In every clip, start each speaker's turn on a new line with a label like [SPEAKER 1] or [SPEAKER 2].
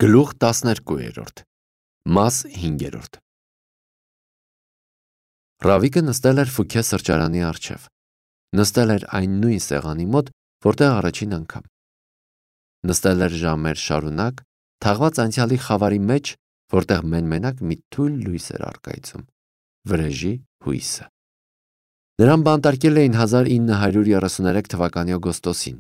[SPEAKER 1] Գլուխ 12 Մաս 5 Ռավիկը նստել էր Ֆուքե սրճարանի առջև։ Նստել էր այն նույն սեղանի մոտ, որտեղ առաջին անգամ։ Նստել էր ժամեր շարունակ, թաղված անցյալի խավարի մեջ, որտեղ մեն-մենակ մի թույլ լույս էր առկայծում՝ վրեժի հույսը։ Նրան բանտարկել էին 1933 թվականի օգոստոսին։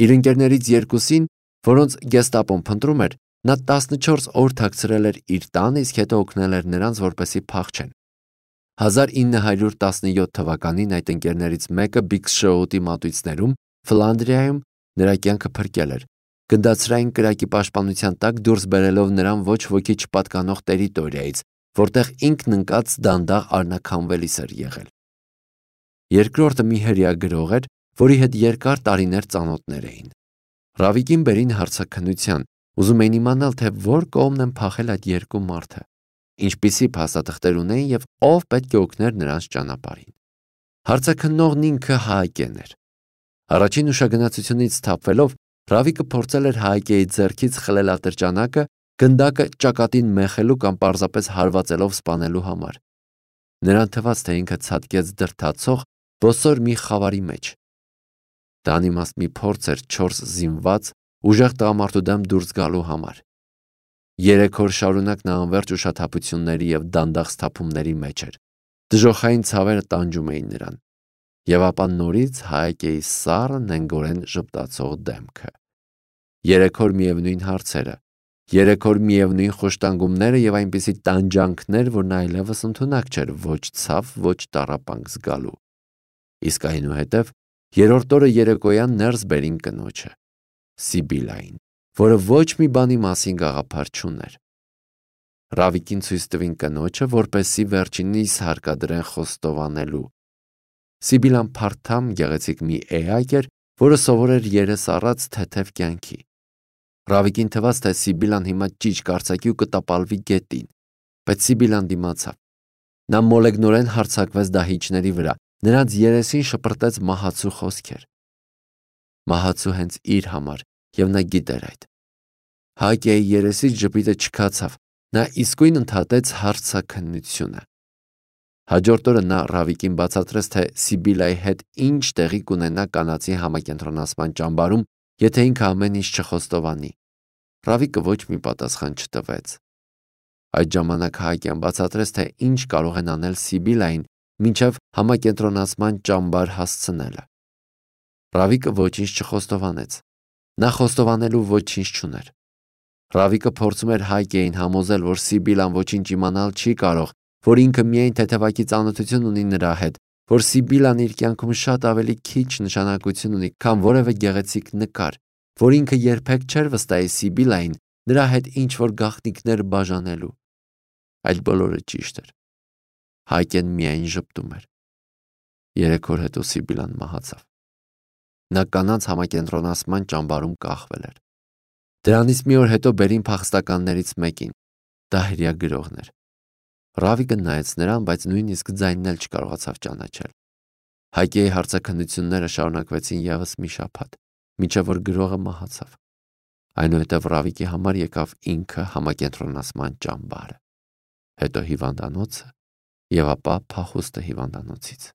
[SPEAKER 1] Իր ընկերներից երկուսին, որոնց գեստապոն փնտրում էր, նա 14 օր թաքցրել էր իր տանը, իսկ հետո օգնել էր նրանց, որպեսզի փախչեն։ 1917 թվականին այդ ընկերներից մեկը Բիգ Շոուտի մատույցներում, Ֆլանդրիայում նրա կյանքը փրկել էր, գնդացրային կրակի պաշտպանության տակ դուրս բերելով նրան ոչ ոքի չպատկանող տերիտորիայից, որտեղ ինքն ընկած դանդաղ առնաքանվելիս էր եղել։ Երկրորդը մի հրեա գրող էր, որի հետ երկար տարիներ ծանոթներ էին։ Ռավիկին բերին հարցաքննության, ուզում էին իմանալ, թե որ կողմն են փախել այդ երկու մարդը, ինչպիսի փաստաթղթեր ունեին եւ ով պետք է օգներ նրանց ճանապարհին։ Հարցաքննողն ինքը Հաակեն էր։ Առաջին ուշագնացությունից սթափվելով Ռավիկը փորձել էր Հաակեի ձեռքից խլել ատրճանակը, գնդակը ճակատին մեխելու կամ պարզապես հարվածելով սպանելու համար։ Նրան թվաց, թե ինքը ցատկեց դրդացող ոսոր մի խավարի մեջ։ Դա անիմաստ մի փորձ էր 4 զինված ուժեղ տղամարդու դեմ դուրս գալու համար։ 3 օր շարունակ նա անվերջ ուշաթափությունների եւ դանդաղ սթափումների մեջ էր։ Դժոխային ցավերը տանջում էին նրան։ Եվ ապա նորից Հաակեի սառը նենգորեն ժպտացող դեմքը։ 3 օր միևնույն հարցերը, 3 օր միևնույն խոշտանգումները եւ այնպիսի տանջանքներ, որ նա այլևս ընդունակ չէր ոչ ցավ, ոչ տառապանք զգալու։ Իսկ այնուհետև երրորդ օրը երեկոյան ներս բերին կնոջը, Սիբիլային, որը ոչ մի բանի մասին գաղափար չուներ։ Ռավիկին ցույց տվին կնոջը, որպեսզի վերջինիս հարկադրեն խոստովանելու։ Սիբիլան փարթամ գեղեցիկ մի էակ էր, որը սովոր էր երես առած թեթև կյանքի։ Ռավիկին թվաց, թե Սիբիլան հիմա ճիչ կարծակի ու կտապալվի գետին, բայց Սիբիլան դիմացավ։ Նա մոլեգնորեն հարձակվեց դահիճների վրա, նրանց երեսին շպրտեց մահացու խոսքեր։ Մահացու հենց իր համար, եւ նա գիտեր այդ։ Հակեի երեսից ժպիտը չքացավ, նա իսկույն ընդհատեց հարցաքննությունը։ Հաջորդ օրը նա Ռավիկին բացատրեց, թե Սիբիլայի հետ ինչ տեղի կունենա կանացի համակենտրոնացման ճամբարում, եթե ինքը ամեն ինչ չխոստովանի։ Ռավիկը ոչ մի պատասխան չտվեց։ Այդ ժամանակ Հակեն բացատրեց, թե ինչ կարող են անել Սիբիլային, մինչև համակենտրոնացման ճամբար հասցնելը։ Ռավիկը ոչինչ չխոստովանեց։ Նա խոստովանելու ոչինչ չուներ։ Ռավիկը փորձում էր Հակեին համոզել, որ Սիբիլան ոչինչ իմանալ չի կարող, որ ինքը միայն թեթևակի ծանոթություն ունի նրա հետ, որ Սիբիլան իր կյանքում շատ ավելի քիչ նշանակություն ունի, քան որևէ գեղեցիկ նկար, որ ինքը երբեք չէր վստահի Սիբիլային նրա հետ ինչ-որ գաղտնիքներ բաժանելու։ Այդ բոլորը ճիշտ էր։ Հակեն միայն ժպտում էր։ 3 օր հետո Սիբիլան մահացավ։ Նա կանանց համակենտրոնացման ճամբարում կախվել էր։ Դրանից մի օր հետո բերին փախստականներից մեկին։ Դա հրեա գրողն էր։ Ռավիկը նայեց նրան, բայց նույնիսկ ձայնն էլ չկարողացավ ճանաչել։ Հակեի հարցաքննությունները շարունակվեցին եւս մի շաբաթ, մինչև որ գրողը մահացավ։ Այնուհետև Ռավիկի համար եկավ ինքը համակենտրոնացման ճամբարը, հետո հիվանդանոցը եւ ապա փախուստը հիվանդանոցից։